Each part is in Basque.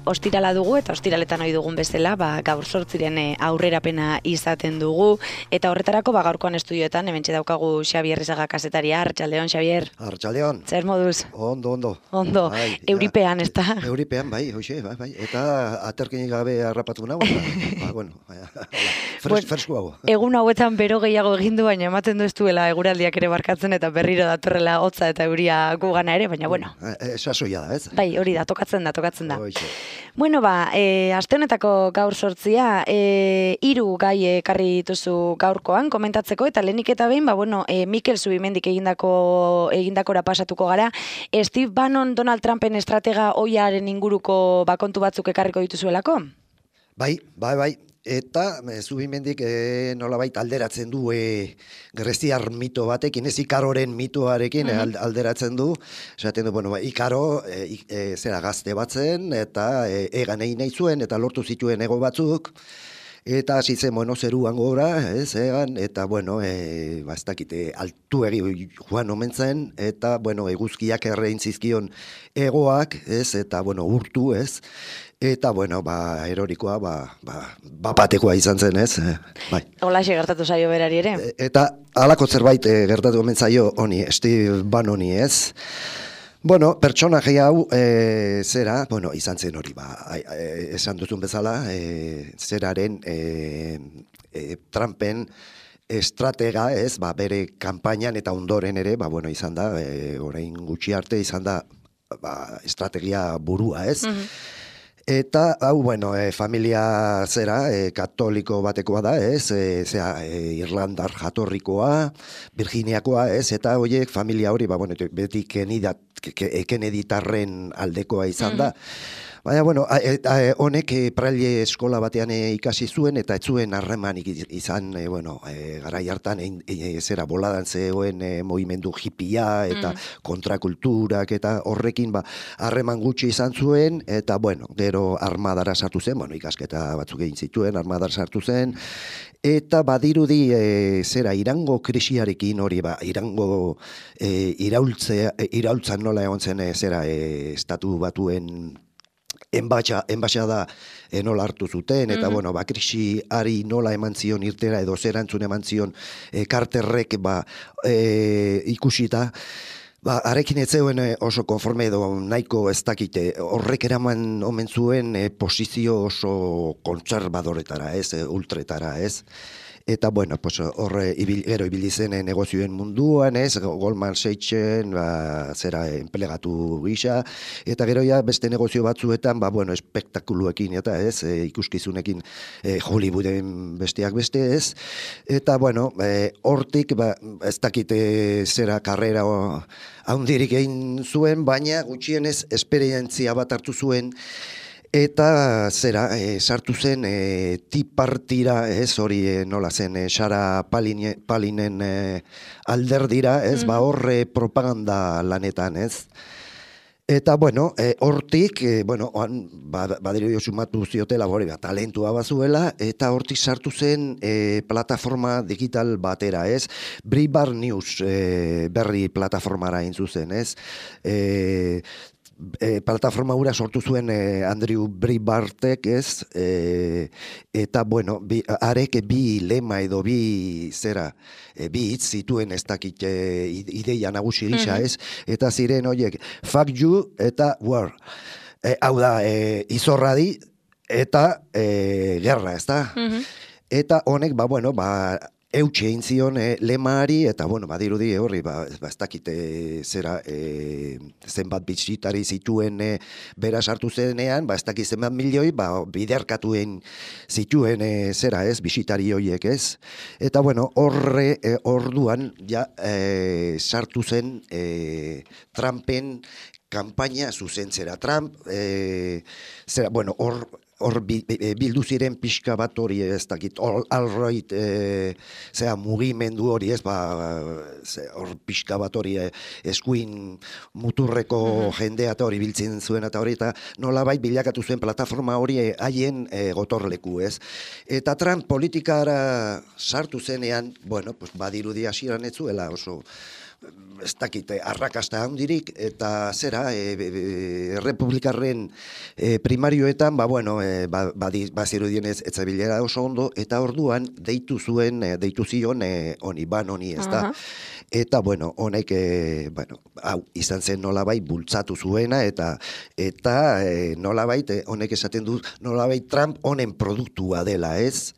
Ostirala dugu eta ostiraletan ohi dugun bezala, gaur 8 aurrerapena izaten dugu eta horretarako gaurkoan estudioetan hementxe daukagu Xabier Rizaga kazetaria. Arratsaldeon, Xabier. Arratsaldeon. Zer moduz? Ondo. Bai, euripean, ezta? Euripean, bai, hoxe, bai. Eta aterkinik gabe harrapatu nago. Fresko hau. Egun hauetan bero gehiago egin du, baina ematen du ez duela eguraldiak ere barkatzen eta berriro datorrela hotza eta euria gugana ere, baina bueno. Sasoia da, ez? Bai, hori da, tokatzen da. Hoxe. Bueno, aste honetako gaur 8, 3 gai ekarri dituzu gaurkoan komentatzeko eta lehenik eta behin, Mikel Zubimendik egindakora pasatuko gara. Steve Bannon Donald Trumpen estratega ohiaren inguruko kontu batzuk ekarriko dituzuelako? Bai. Eta Zubimendik nolabait alderatzen du greziar mito batekin, ez Ikaroren mitoarekin alderatzen du. Esaten du, Ikaro zera gazte batzen eta egan egin nahi zuen eta lortu zituen ego batzuk. Eta hasi zen, zeruan gora, egan, eta, ez dakite, altu egi joan omen zen, eta, eguzkiak errein zizkion egoak, eta, urtu, eta, erorikoa, batekoa izan zen, bai. Holaxe gertatu zaio berari ere? Eta, halako zerbait gertatu omen zaio honi, Steve Bannoni, pertsonaje hau, izan zen hori, esan duzun bezala, zeraren Trumpen estratega, bere kanpainan eta ondoren ere, izan da, orain gutxi arte izan da, estrategia burua, Eta, familia katoliko batekoa da, Irlandar jatorrikoa, Virginiakoa, eta horiek familia hori, beti Kennedytarren aldekoa izan da. Baina, honek praile eskola batean ikasi zuen, eta ez zuen harremanik izan, garai hartan, boladan zegoen movimendu hippia, eta kontrakulturak, eta horrekin harreman gutxi izan zuen, eta, gero armadara sartu zen, ikasketa batzuk egin zituen, armadara sartu zen, eta badirudi Irango krisiarekin hori, Irango iraultzan nola egon zen, estatu batuen enbaxada nola hartu zuten, eta, krisiari nola eman zion irtera, edo zerantzun eman zion Carterrek ikusita, arekin ez zeuen oso konforme edo nahiko ez dakite, horrek eraman omen zuen posizio oso kontserbadoretara, ultretara, Eta, horre gero ibili zen negozioen munduan, Goldman Sachsen, enplegatu gisa, eta gero beste negozio batzuetan, espektakuluekin, eta ikuskizunekin Hollywooden besteak beste, Eta, hortik, ez dakite karrera haundirik egin zuen, baina gutxienez esperientzia bat hartu zuen, eta sartu zen tipartira, hori nola zen, Sarah Palinen alderdira, horre propaganda lanetan, Eta, hortik, badirio sumatu ziotela, talentua bazuela, eta hortik sartu zen plataforma digital batera, Breitbart News berri plataformara zuzen, plataforma hura sortu zuen Andrew Breitbartek, eta, arek bi lema edo bi hitz zituen ez dakit ideia nagusi gisa, eta ziren horiek, fuck you eta war. Hau da, izorradi eta gerra, ez da? Eta honek, eutxe egin zion lemari, eta, badirudi horri, ez dakite zenbat bisitari zituen bera sartu zenean, ez dakit zenbat milioi, biderkatuen zituen bisitari horiek, Eta, horre, orduan, sartu zen Trumpen kanpaina zuzentzera. Trump, hor bildu ziren pixka bat hori, ez dakit, alt-right mugimendu hori, hor pixka bat hori eskuin muturreko jendea eta hori biltzen zuen eta hori, eta nolabait bilakatu zuen plataforma hori haien gotorleku, Eta Trump politikara sartu zenean, badirudi hasieran ez zuela oso ez dakite, arrakasta handirik, eta zera, republikarren primarioetan, bazirudienez etzabilera oso ondo, eta orduan deitu zion honi, honi, ez da. Eta, honek, hau, izan zen nolabait bultzatu zuena, eta nolabait, honek esaten du, nolabait Trump honen produktua dela, ez?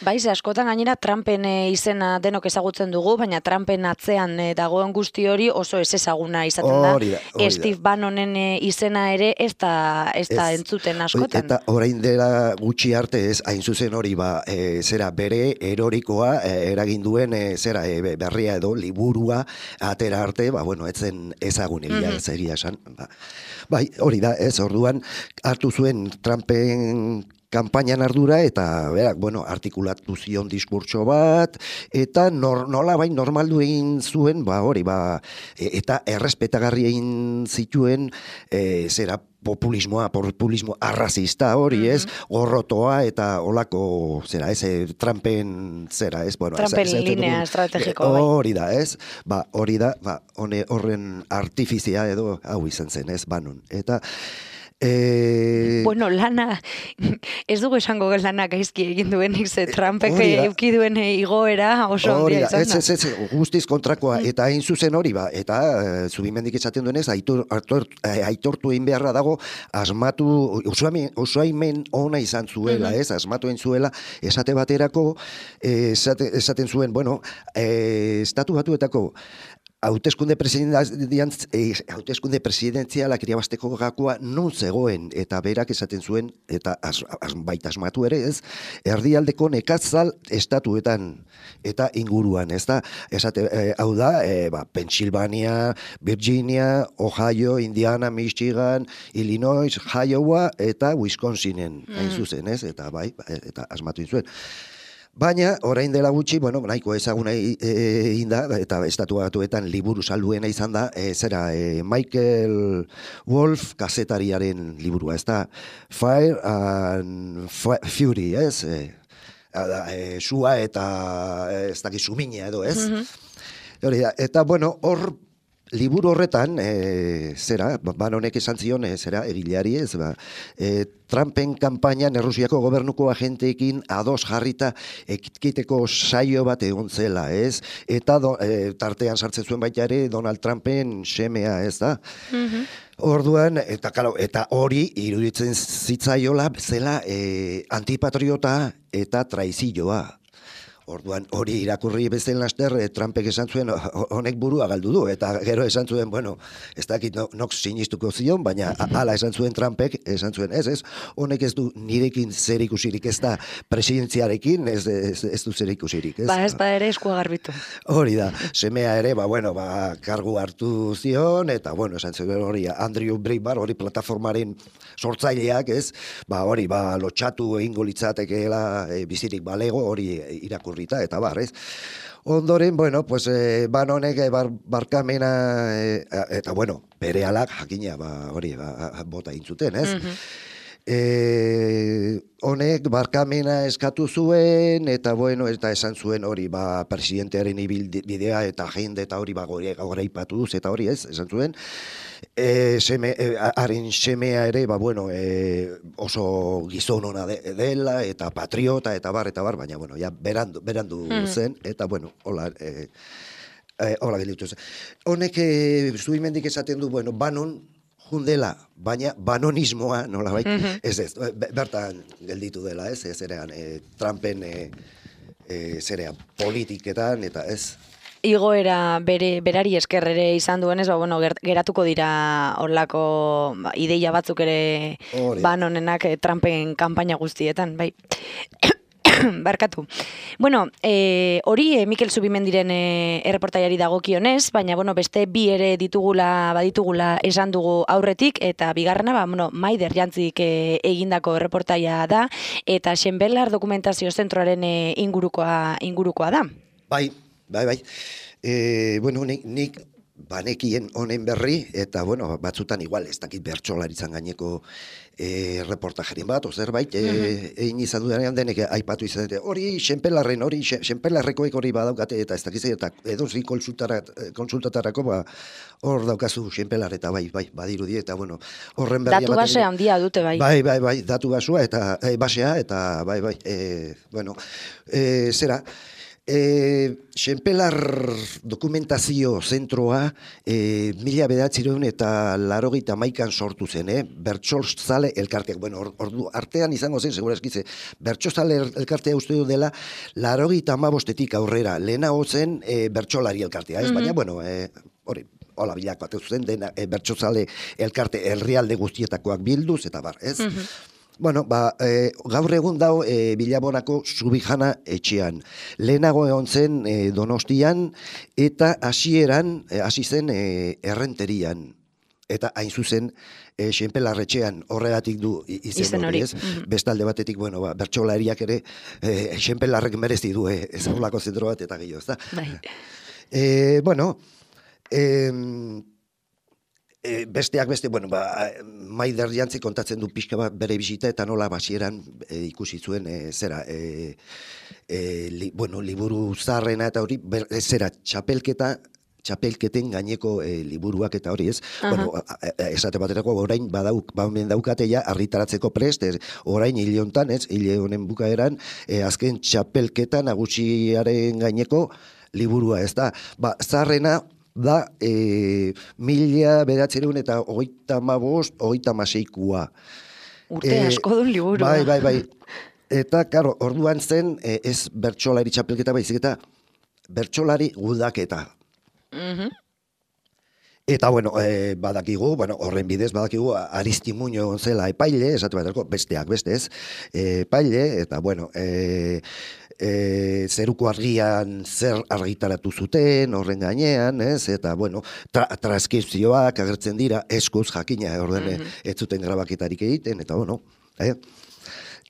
Baiz, askotan gainera Trumpen izena denok ezagutzen dugu, baina Trumpen atzean dagoen guzti hori oso ez ezaguna izaten da. Steve Bannonen izena ere ez da entzuten askotan. Eta orain dela gutxi arte ez, hain zuzen hori zera bere erorikoa eragin duen berria edo liburua atera arte, etzen ezagun egia esan. Bai, hori da, ez, orduan hartu zuen Trumpen kanpainan ardura, eta berak, artikulatu zion diskurtso bat, eta nolabait normaldu egin zuen, eta errespetagarri egin zituen, populismo arrazista hori, ez, gorrotoa eta olako, Trumpen Trumpen linea estrategiko, bai. Hori da, ez, hori da, horren artifizia edo, hau izan zen, ez, Bannon, eta lana, ez dugu esango lana gaizki egin duenik, ze Trumpek euki duen igoera oso handia izan da. Ez, guztiz kontrakoa, eta hain zuzen hori, eta Zubimendik esaten duenez, aitortu egin beharra dago, asmatu, usaimen ona izan zuela, ez, asmatu egin zuela, esate baterako, esaten zuen, estatu batuetako, hauteskunde presidentzialak irabasteko gakoa non zegoen, eta berak esaten zuen, eta baita asmatu ere ez, erdialdeko nekatzal estatuetan eta inguruan, ez da, hau da, Pennsylvania, Virginia, Ohio, Indiana, Michigan, Illinois, Iowa eta Wisconsinen, hain zuzen, ez, eta eta asmatu zuen. Baina, orain dela gutxi, nahiko ezaguna egin da, eta estatu batuetan liburu salduena izan da, Michael Wolff kazetariaren liburua, ez da, Fire and Fury, ez? Sua eta ez dakit sumina edo, ez? Eta, hor, liburu horretan, Bannonek esan zion, egileari ez, Trumpen kanpainan Errusiako gobernuko agenteekin ados jarrita ekiteko saio bat egon zela, ez? Eta tartean sartzen zuen baita ere Donald Trumpen semea, ez da? Orduan, eta hori iruditzen zitzaiola zela antipatriota eta traizioa. Orduan, hori irakurri bezen laster, Trumpek esan zuen, honek burua galdu du, eta gero esan zuen, ez dakit nok sinistuko zion, baina hala esan zuen Trumpek, esan zuen, ez, honek ez du nirekin zer ikusirik, ez da presidentziarekin, ez du zer ikusirik. Ez ere eskua garbitu. Hori da, semea ere, kargu hartu zion, eta, esan zuen hori, Andrew Breitbart, hori plataformaren sortzaileak, ez, hori, lotxatu egingo litzatekeela bizirik balego, hori irakurrita, eta ez. Ondoren, Bannonek barkamena, eta, berehalak, jakina, hori, bota intzuten, ez? Honek barkamena eskatu zuen, eta eta esan zuen hori presidentearen bidea eta agenda eta hori goraipatu duz, eta hori ez, esan zuen. Haren semea ere, oso gizon ona dela, eta patriota, eta bar, baina, berandu zen, eta, hola gelditu zen. Honek, Zubimendik esaten du, Bannon, jundela, baina banonismoa, nolabait, bertan gelditu dela, ez erean, Trumpen zerean politiketan, eta ez. Igoera berari esker ere izan duenez, geratuko dira horlako ideia batzuk ere Bannonenak Trumpen kanpaina guztietan, bai. Barkatu. Hori Mikel Zubimendiren erreportaiari dagokionez, baina beste bi ere baditugula esan dugu aurretik, eta bigarrena Maider Jantzik egindako erreportaia da, eta Xenbelar dokumentazio zentroaren ingurukoa da. Bai. Nik banekien honen berri, eta, bueno, batzutan igual, ez dakit bertsolaritzan gaineko reportajerin bat, zerbait, egin izan dudanean denek aipatu izan dute, hori Xenpelarrekoek hori badaukate, eta ez dakiz, eta edozein konsultatarako, hor daukazu Xenpelar, eta bai, badirudi, eta, bueno, horren berri datu base handia dute, bai. Bai, datu basua, eta basea, eta bai, bueno, zera, Xenpelar dokumentazio zentroa 1981 sortu zen, bertsolzale elkarteak. Bueno, ordu artean izango zen, segurazkize, bertsolzale elkartea uste du dela 85etik aurrera, lehenago zen bertsolari elkartea, ez? Baina, bueno, hori, hola bilako ateu zen, dena bertsolzale elkarte herrialde guztietakoak bilduz, eta bar, ez? Bueno, gaur egun dau Bilabonako Subijana etxean. Lehenago egon zen Donostian eta hasi zen Errenterian. Eta hain zuzen Xenpelar etxean horregatik du izen hori, ez? Bestalde batetik, bueno, bertsolariak ere Xenpelarrek merezi du ezagulako zentro bat eta gehiago, ezta? Bai. Bueno, besteak beste, bueno, Maider Jantzi kontatzen du pixka bat bere bisita eta nola basieran ikusi zuen liburu zaharrena eta hori, zera txapelketen gaineko liburuak eta hori, ez? Bueno, esate baterako orain bamen daukate ja argitaratzeko prest, orain hile hontan, ez? Hile honen bukaeran, azken txapelketa nagusiaren gaineko liburua, ez da? Zaharrena da 1935-36. Urte asko duen liburu. Bai. Eta, karo, orduan zen, ez bertsolari txapelketa baizik eta bertsolari gudaketa. Eta, bueno, badakigu, horren bidez badakigu Aristimuño zela epaile, esate baterako, besteak bestez, epaile, eta, bueno, zeruko argian zer argitaratu zuten horren gainean, ez? Eta, bueno, transkripzioak agertzen dira, eskuz jakina, orden ez zuten grabaketarik egiten, eta, bueno,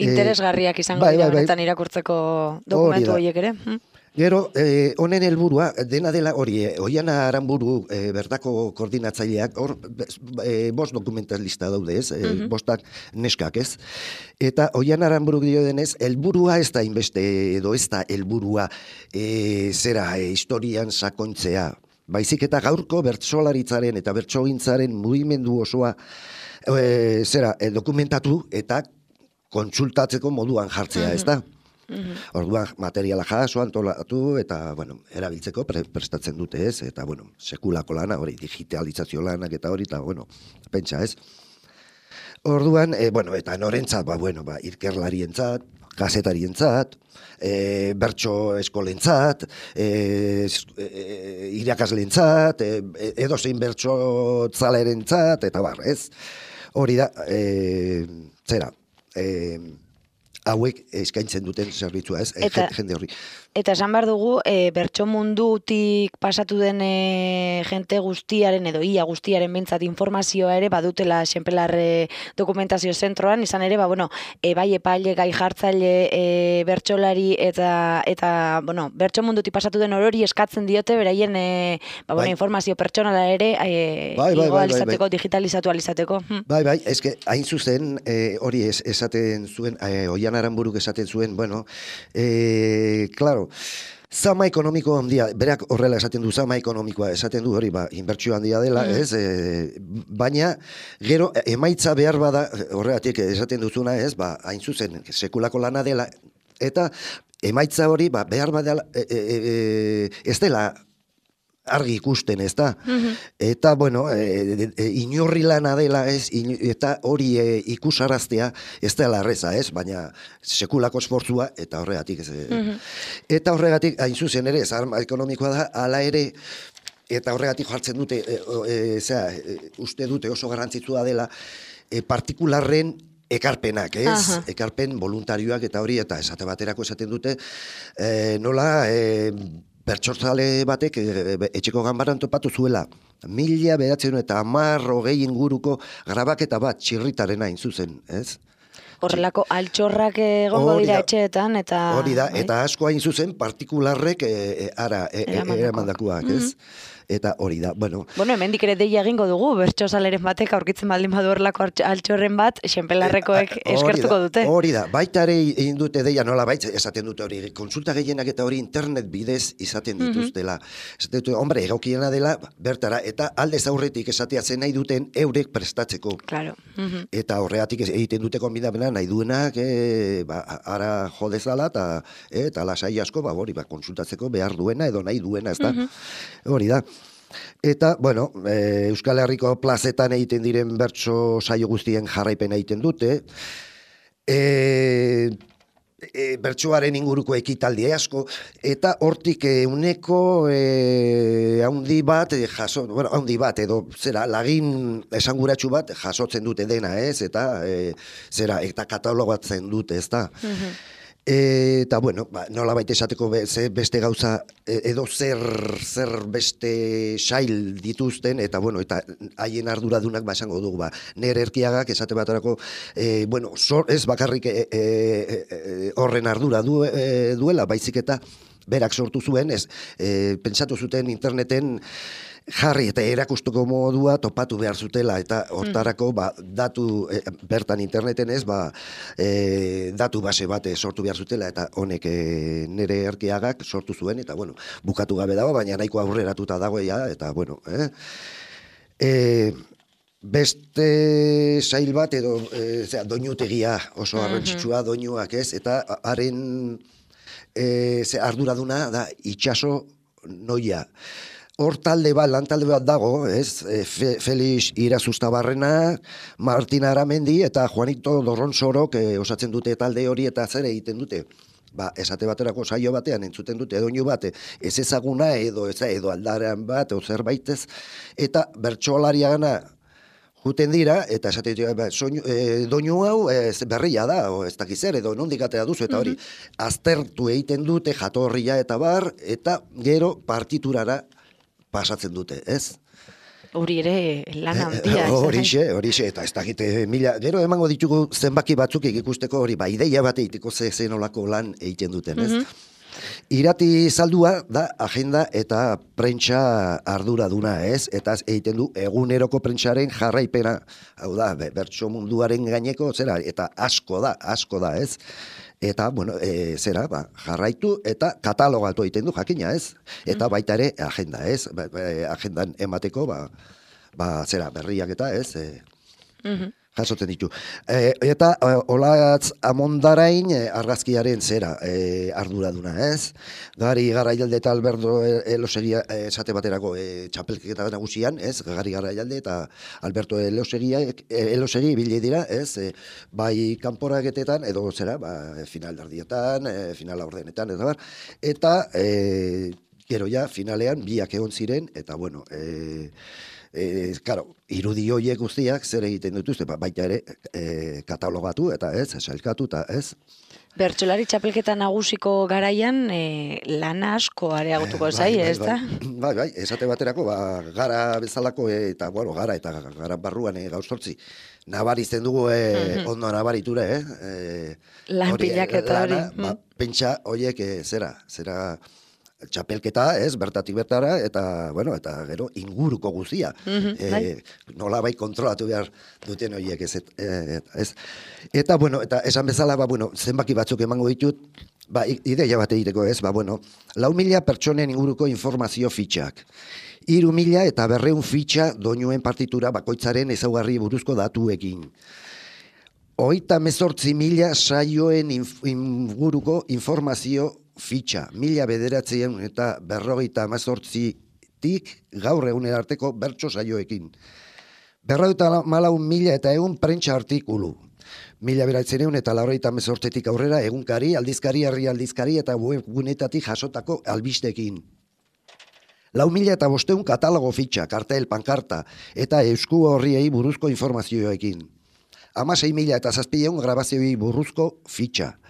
interesgarriak izango dira benetan irakurtzeko dokumentu horiek ere. Gero, honen helburua dena dela hori, Oiana Aranburu bertako koordinatzaileak, hor, 5 dokumentalista daude, ez? 5 neskak, ez? Eta Oiana Aranburu dio denez, helburua ez da inbeste, edo ez da helburua historian sakontzea. Baizik eta gaurko bertsolaritzaren eta bertsogintzaren mugimendu osoa dokumentatu eta kontsultatzeko moduan jartzea, ez da? Orduan materiala jaso, antolatu eta, bueno, erabiltzeko prestatzen dute, ez? Eta, bueno, sekulako lana, hori, digitalizazio lanak eta hori, eta, bueno, pentsa, ez? Orduan, bueno, eta norentzat, irkerlarientzat, kazetarientzat, bertso eskolentzat, irakasleentzat, edozein bertso tzalerentzat, eta bar, ez? Hori da, hauek eskaintzen duten zerbitzua, ez? Jende horri. Eta esan behar dugu, bertso mundutik pasatu den jente guztiaren edo ia guztiaren bintzat informazioa ere badutela Xenpelar dokumentazio zentroan, izan ere, bai epaile, gai jartzaile, bertsolari eta bertso mundutik pasatu den orori eskatzen diote, beraien informazio pertsonala ere igualizateko, digitalizatu alizateko. Bai, eske hain zuzen hori esaten zuen, Oian Aranburuk esaten zuen, claro, zama ekonomiko handia, berak horrela esaten du, zama ekonomikoa esaten du hori, inbertsio handia dela, ez? Baina, gero, emaitza behar bada, horregatik esaten duzuna, ez? Hain zuzen, sekulako lana dela, eta emaitza hori, behar bada, ez dela argi ikusten, ez da? Eta, bueno, inorri lana dela, ez? Eta hori ikusaraztea ez dela erreza, ez? Baina sekulako esfortzua, eta horregatik, ez? Eta horregatik, hain zuzen ere, zarma ekonomikoa da, ala ere, eta horregatik jartzen dute, uste dute oso garrantzitsua dela, partikularren ekarpenak, ez? Ekarpen voluntarioak eta hori, eta esate baterako esaten dute, nola, bertsotzale batek etxeko ganbaran topatu zuela 1910 inguruko grabaketa bat txirritaren hain zuzen, ez? Horrelako altxorrak egongo dira etxeetan, eta... Hori da, eta asko hain zuzen partikularrek eramandakoak, ez? eta hori da, bueno. Bueno, hemendik ere deia egingo dugu, bertsozaleren batek aurkitzen baldin badu horrelako altxorren bat, xenpelarrekoek eskertuko dute. Hori da, baita ere egin dute deia nola baita, esaten dute hori, konsulta gehienak eta hori internet bidez izaten dituztela. Esaten dute, hombre, egokiena dela, bertara, eta aldez aurretik esatea zen nahi duten eurek prestatzeko. Claro. Eta horregatik egiten dute konbidapena nahi duenak, ara jodezala, eta lasai asko, hori, konsultatzeko behar duena edo nahi duena, ez da? Hori da. Eta, bueno, Euskal Herriko plazetan egiten diren bertso saio guztien jarraipena egiten dute. Bertsoaren inguruko ekitaldi asko, eta hortik uneko haundi bat, haundi bat, edo zera, lagin esanguratsu bat jasotzen dute dena, ez? Eta, eta katalogatzen dute, ez da? Eta, bueno, nola baita esateko beste gauza, edo zer beste sail dituzten, eta, bueno, eta haien arduradunak esango dugu, nire Erkiagak esate baterako, bueno, ez bakarrik horren ardura duela, baizik eta berak sortu zuen, pentsatu zuten interneten jarri eta erakustuko modua topatu behar zutela, eta hortarako datu bertan interneten ez, datu base bat sortu behar zutela, eta honek nire Erkiagak sortu zuen, eta bueno, bukatu gabe dago, baina nahiko aurreratuta dagoia, eta bueno, beste sail bat edo doinutegia oso garrantzitsua doinuak ez, eta haren arduraduna da itxaso noia. Hor lan talde bat dago, ez? Felix Irazustabarrena, Martin Aramendi eta Juanito Dorronsorok osatzen dute talde hori, eta zer egiten dute? Esate baterako saio batean entzuten dute doinu bat, ez ezaguna edo aldarean bat, edo zerbaitez, eta bertsolariagana juten dira, eta esate doinu hau berria da, ez dakizer, edo nondik atera duzu, eta hori, aztertu egiten dute jatorria eta bar, eta gero partiturara pasatzen dute, ez? Hori ere lan handia. Horixe, eta ez dakite mila, gero emango ditugu zenbaki batzuk ikusteko hori, ideia bat egiteko zenolako lan egiten duten, ez? Irati Zaldua da agenda eta prentsa arduraduna, ez? Eta egiten du eguneroko prentsaren jarraipena, hau da, bertso munduaren gaineko, zera, eta asko da, ez? Eta, bueno, jarraitu eta katalogatu egiten du, jakina, ez? Eta baita ere agenda, ez? Agendan emateko, berriak eta, ez? Jasotzen ditu. Eta Olatz Amondarain argazkiaren arduraduna, ez? Gari Garaialde eta Alberto Elosegia esate baterako txapelketa nagusian, ez? Gari Garaialde eta Alberto Elosegi bile dira, ez? Bai kanporaketetan edo final ardietan, final aurdenetan, eta gero ja finalean biak egon ziren, eta bueno, irudi horiek guztiak zer egiten dituzte, baita ere katalogatu eta ez, sailkatu eta ez. Bertsolari txapelketa nagusiko garaian lana asko areagotuko zai, ez da? Bai, esate baterako, gara bezalako, eta gara barruan gauzortzi. Nabarizten dugu ondo nabariture, lan pilaketa hori. Pentsa horiek zera txapelketa, ez, bertatik bertara, eta gero inguruko guzia. Nola bai kontrolatu behar duten horiek, ez. Eta, eta esan bezala, zenbaki batzuk emango ditut, ideia bat egiteko, ez, 4.000 pertsonen inguruko informazio fitxak. 3.000 eta 200 fitxa doinuen partitura bakoitzaren ezaugarri buruzko datuekin. 38.000 saioen inguruko informazio fitxa, 1.900 eta 58tik gaur egunen arteko bertso saioekin. 54.000 eta 100 prentsa artikulu. 1.900 eta 58tik aurrera egunkari, aldizkari, herri aldizkari eta webgunetatik jasotako albistekin. 4.000 eta 500 katalogo fitxa, kartel, pankarta eta eusku horriei buruzko informazioekin. 16.000 eta 700 grabazioi buruzko fitxa.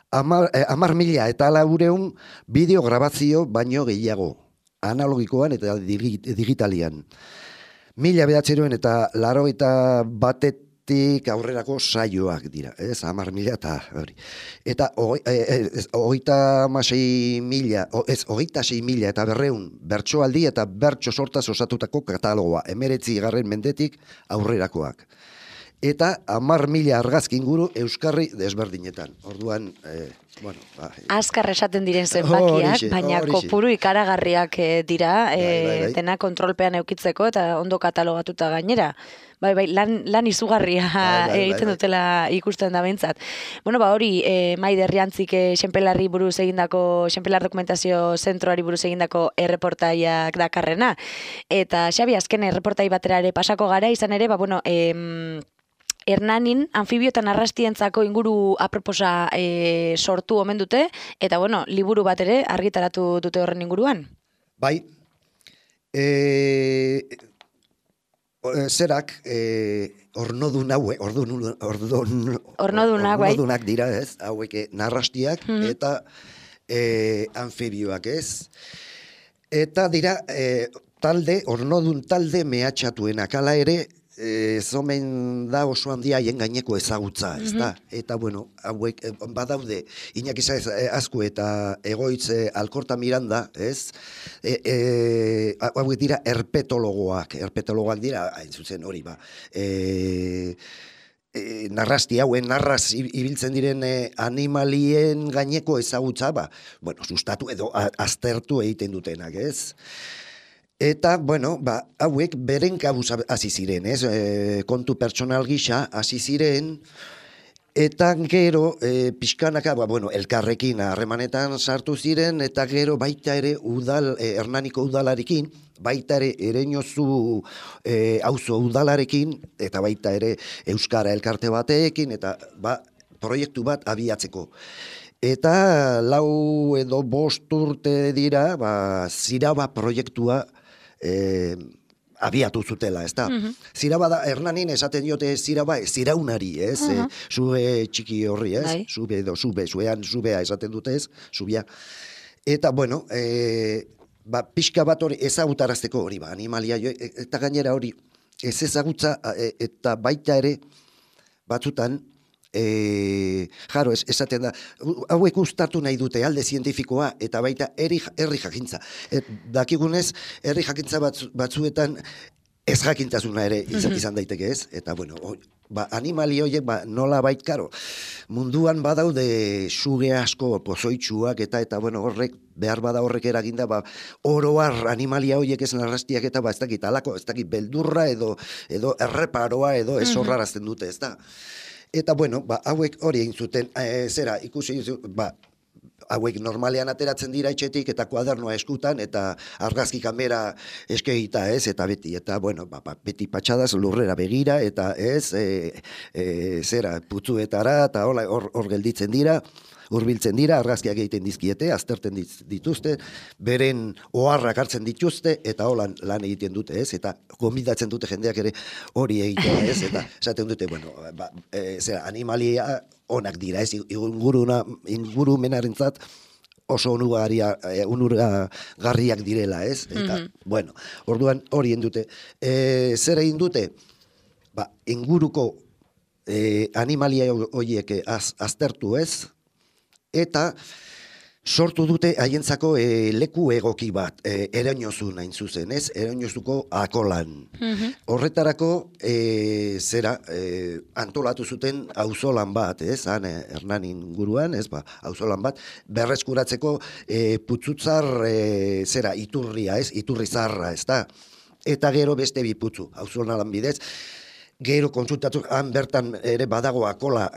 10.000 eta 400 bideo grabazio baino gehiago, analogikoan eta digitalian. 1900 eta 81 hortik aurrerako saioak dira, ez, 10.000 eta hori. Eta 26.000 eta 200 bertsoaldi eta bertso sortaz osatutako katalogoa, 19. mendetik aurrerakoak. Eta 10.000 argazki inguru euskarri desberdinetan. Orduan, azkar esaten diren zenbakiak, baina kopuru ikaragarriak dira, dena kontrolpean eukitzeko eta ondo katalogatuta gainera. Lan izugarria egiten dutela ikusten da behintzat. Hori, Maider Riantzik Xenpelar Dokumentazio Zentroari buruz egindako erreportaiak dakarrena. Eta Xabi, azken erreportai batera ere pasako gara, izan ere, Hernanin anfibioetan arrastientzako inguru aproposa sortu omen dute, eta liburu bat ere argitaratu dute horren inguruan. Bai, zerak ornodunak dira, ez? Hauek narrastiak eta anfibioak, ez? Eta dira ornodun talde mehatxatuenak, hala ere, zomen da oso handia haien gaineko ezagutza, ez da? Eta, hauek badaude, Iñaki Saez Azku eta Egoitz Alkorta Miranda, ez? Hauek dira herpetologoak dira, hain zuzen hori, narrasti hauen, narraz ibiltzen diren animalien gaineko ezagutza, sustatu edo aztertu egiten dutenak, ez? Eta, hauek beren kabuz hasi ziren, ez? Kontu pertsonal gisa hasi ziren, eta gero pixkanaka, elkarrekin harremanetan sartu ziren, eta gero baita ere Hernaniko udalarekin, baita ere Ereñozu auzo udalarekin, eta baita ere Euskara elkarte batekin, eta proiektu bat abiatzeko. Eta 4 edo 5 urte dira, Ziraba proiektua abiatu zutela, ez da? Ziraba da, Hernanin esaten diote ziraunari, ez? Zube txiki horri, ez? Zube edo zubea esaten dute, ez? Zubia. Eta, pixka bat hori ezagutarazteko hori, animalia, eta gainera hori ez ezagutza, eta baita ere batzutan, esaten da, hauek uztartu nahi dute alde zientifikoa eta baita herri jakintza. Dakigunez, herri jakintza batzuetan ez jakintasuna ere izan daiteke, ez? Eta, animali horiek nola karo, munduan badaude suge asko pozoitsuak eta horrek, behar bada horrek eraginda, oroar animalia horiek ez narrastiak eta ez dakit alako, ez dakit beldurra edo erreparoa edo ez horrarazten dute, ez da? Eta, hauek hori egin zuten, ikusi, hauek normalean ateratzen dira etxetik eta kuadernoa eskutan eta argazki kamera eskegita, ez, eta beti, beti patxadaz lurrera begira, eta ez, putzuetara, eta hor gelditzen dira, hurbiltzen dira, argazkiak egiten dizkiete, azterten dituzte, beren oharrak hartzen dituzte, eta holan lan egiten dute, ez, eta gonbidatzen dute jendeak ere hori egitea, ez, eta esaten dute, animalia onak dira, ez, ingurumenarentzat oso onuragarriak direla, ez, eta, orduan hori egin dute. Zer egin dute? Inguruko animalia horiek aztertu, ez, eta sortu dute haientzako leku egoki bat, Ereñozu nahin zuzen, ez? Ereñozuko Akolan. Horretarako antolatu zuten auzolan bat, ez? Hernanin inguruan, ez? Auzolan bat, berreskuratzeko putzutzar iturria, ez? Iturri zarra, ez da? Eta gero beste bi putzu, auzolan bidez. Gero kontsultatu, han bertan ere badago Akola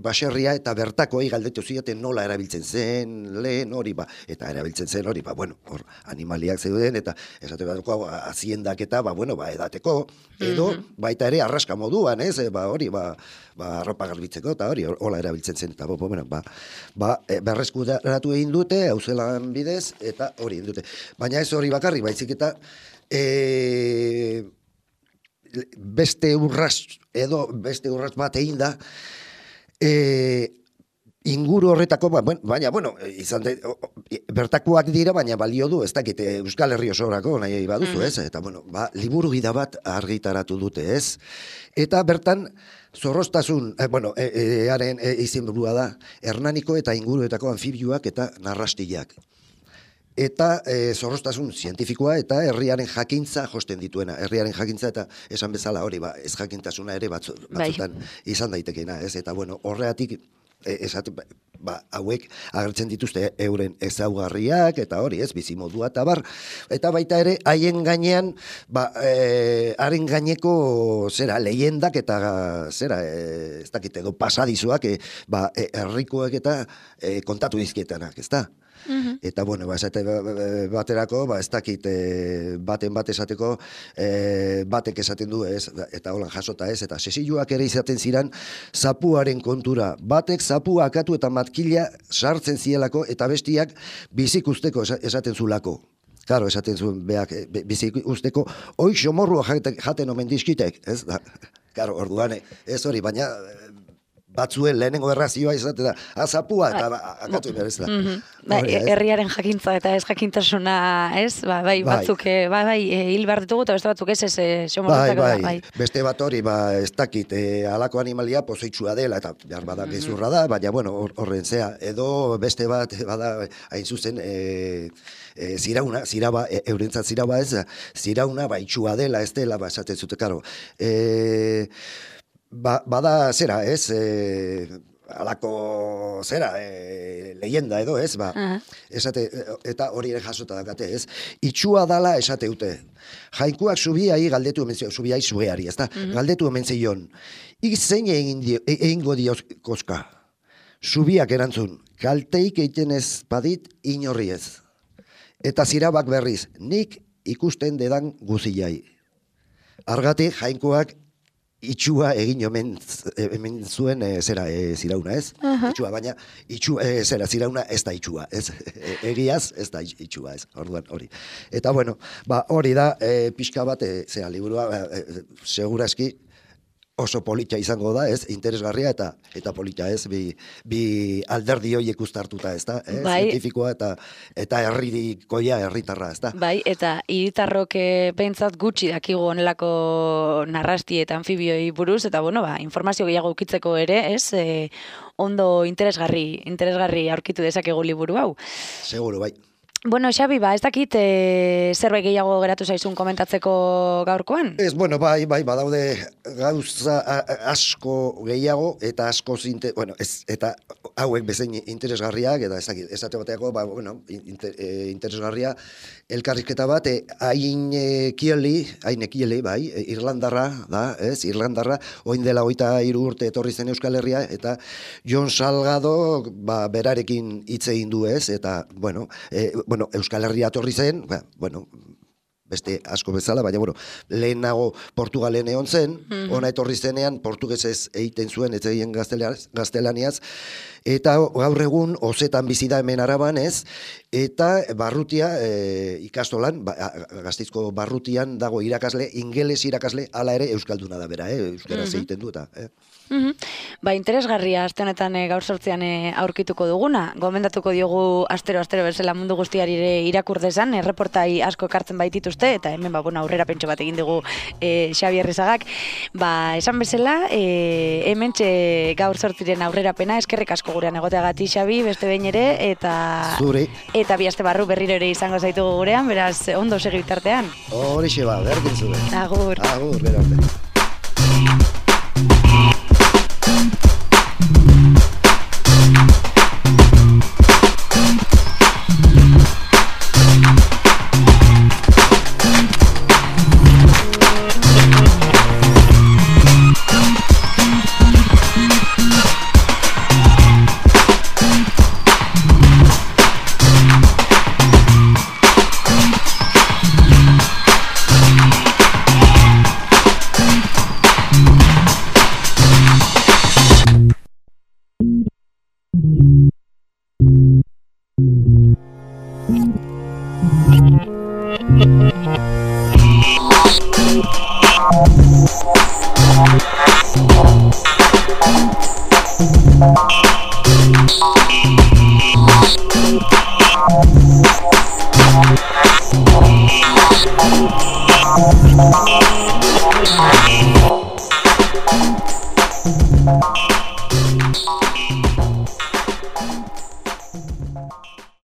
baserria, eta bertako galdetu zieten nola erabiltzen zen, lehen hori, eta erabiltzen zen hori, hor animaliak zeuden, eta esateko haziendak eta, edateko, edo baita ere arraska moduan, ez, hori, arropa garbitzeko, eta hori, hola erabiltzen zen, eta berreskuratu egin dute, auzelan bidez, eta hori egin dute. Baina ez hori bakarrik, baizik eta beste urraz bat egin da, inguru horretako, baina, bueno, izan bertakoak dira, baina balio du, ez dakit, Euskal Herri osorako nahi baduzu, ez? Eta, bueno, liburu gida bat argitaratu dute, ez? Eta bertan, zorroztasun, haren izenburua da, Hernaniko eta inguruetako anfibioak eta narrastiak. Eta zorroztasun zientifikoa eta herriaren jakintza josten dituena. Herriaren jakintza eta esan bezala hori, ez jakintasuna ere batzutan izan daitekeena, ez? Eta, bueno, horreatik, hauek agertzen dituzte euren ezaugarriak eta hori, ez, bizimodua eta bar, eta baita ere haien gainean haren gaineko lehendak eta ez dakit edo pasadizuak herrikoek eta kontatu dizkietanak, ez da? Eta, bueno, baterako, ez dakit baten bat esateko, batek esaten du, ez, eta holan jasota ez, eta sesioak ere izaten ziren zapuaren kontura. Batek zapua akatu eta matkila sartzen zielako, eta bestiak bizik usteko esaten zulako. Claro, esaten zuen beak bizik usteko, hoi xomorrua jaten omen dizkitek, ez da? Claro, orduan, ez hori, baina batzuen lehenengo errazioa izate da, azapua eta akatu behar ez da. Herriaren jakintza eta ez jakintasuna, ez? Batzuk, hil behar ditugu eta beste batzuk ez xomorretzako. Beste bat hori, ez dakit, alako animalia pozoitsua dela, eta behar bada gezurra da, baina, bueno, horren zea, edo beste bat, bada, hain zuzen, ziraba, eurentzat ziraba ez, zirauna baitsua dela, ez dela, esaten zute, karo. Bada zera, ez, alako zera, leyenda edo, ez, esate, eta hori ere jasota dakate, ez, itxua dala esateute. Jainkuak subiai galdetu emenzion, subiai sueari, ez da, galdetu emenzion, zein egingo dioz koska. Subiak erantzun, kalteik egiten ez badit inorri ez. Eta zirabak berriz, nik ikusten dedan guzilai. Argatik, jainkoak itxua egin omen zuen zirauna, ez? Itxua, baina zirauna ez da itxua, ez? Egiaz ez da itxua, ez? Orduan hori. Eta, bueno, hori da, pixka bat, liburua, seguraski, oso polita izango da, ez, interesgarria eta polita, ez, bi alderdi horiek uztartuta, ez da, zientifikoa eta herritarra, ez da. Bai, eta hiritarrok behintzat gutxi dakigu onelako narrasti eta anfibioi buruz, eta, bueno, informazio gehiago ukitzeko ere, ez, ondo interesgarri aurkitu dezakegu liburu hau. Seguro, bai. Bueno, Xabi, ez dakit zerbait gehiago geratu zaizun komentatzeko gaurkoan? Ez, bueno, bai, badaude gauza asko gehiago, eta asko eta hauek bezain interesgarriak, eta esate bateako, interesgarria, elkarrizketa bat, hain ekieli, bai, Irlandarra, da, ez, Irlandarra, oin dela 23 urte etorri zen Euskal Herria, eta Jon Salgado, berarekin hitz egin du, ez, eta, bueno, Euskal Herria etorri zen, beste asko bezala, baina, lehenago Portugalen egon zen, ona etorri zenean, portugesez egiten zuen, ez egin gaztelaniaz, eta gaur egun, ozetan bizi da hemen Araban, ez, eta barrutia ikastolan, Gasteizko barrutian dago irakasle, ingeles irakasle, hala ere euskalduna da bera, euskaraz egiten du eta. Interesgarria aste honetan gaur sortzean aurkituko duguna. Gomendatuko diogu astero bezala mundu guztiari irakur dezan, erreportai asko ekartzen baitituzte, eta hemen aurrera pentso bat egin dugu Xabi Errizagak. Esan bezala, hemen gaur sortziren aurrerapena, eskerrik asko gurean egoteagatik, Xabi, beste behin ere, eta bi aste barru berriro ere izango zaitugu gurean, beraz, ondo segi bitartean. Horixe berdin zuen. Agur. Agur, gero arte. Thank you.